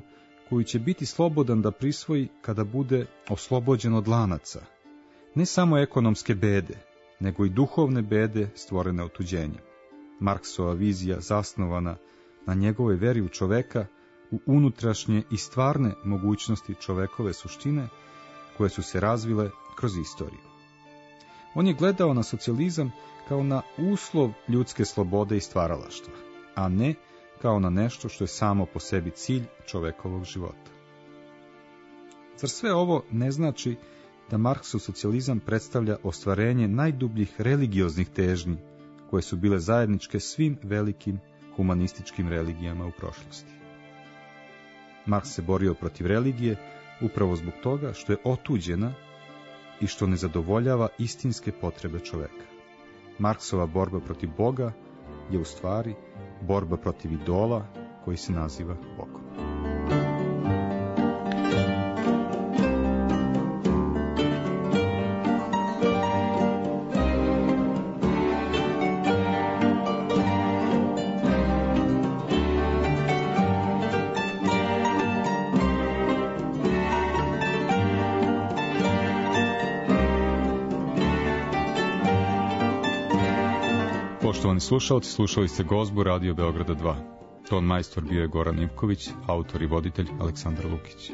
koju će biti slobodan da prisvoji kada bude oslobođen od lanaca, ne samo ekonomske bede, nego i duhovne bede stvorene otuđenjem. Marksova vizija zasnovana na njegovoj veri u čoveka, u unutrašnje i stvarne mogućnosti čovekove suštine, koje su se razvile kroz istoriju. On je gledao na socijalizam kao na uslov ljudske slobode i stvaralaštva, a ne kao na nešto što je samo po sebi cilj čovekovog života. Zar sve ovo ne znači da Marksov socijalizam predstavlja ostvarenje najdubljih religioznih težnji koje su bile zajedničke svim velikim humanističkim religijama u prošlosti? Marks se borio protiv religije upravo zbog toga što je otuđena i što ne zadovoljava istinske potrebe čoveka. Marksova borba protiv Boga je u stvari borba protiv idola koji se naziva Bogom. Poštovani slušalci, slušali ste Gozbu Radio Beograda 2. Ton majstor bio je Goran Ivković, autor i voditelj Aleksandar Lukić.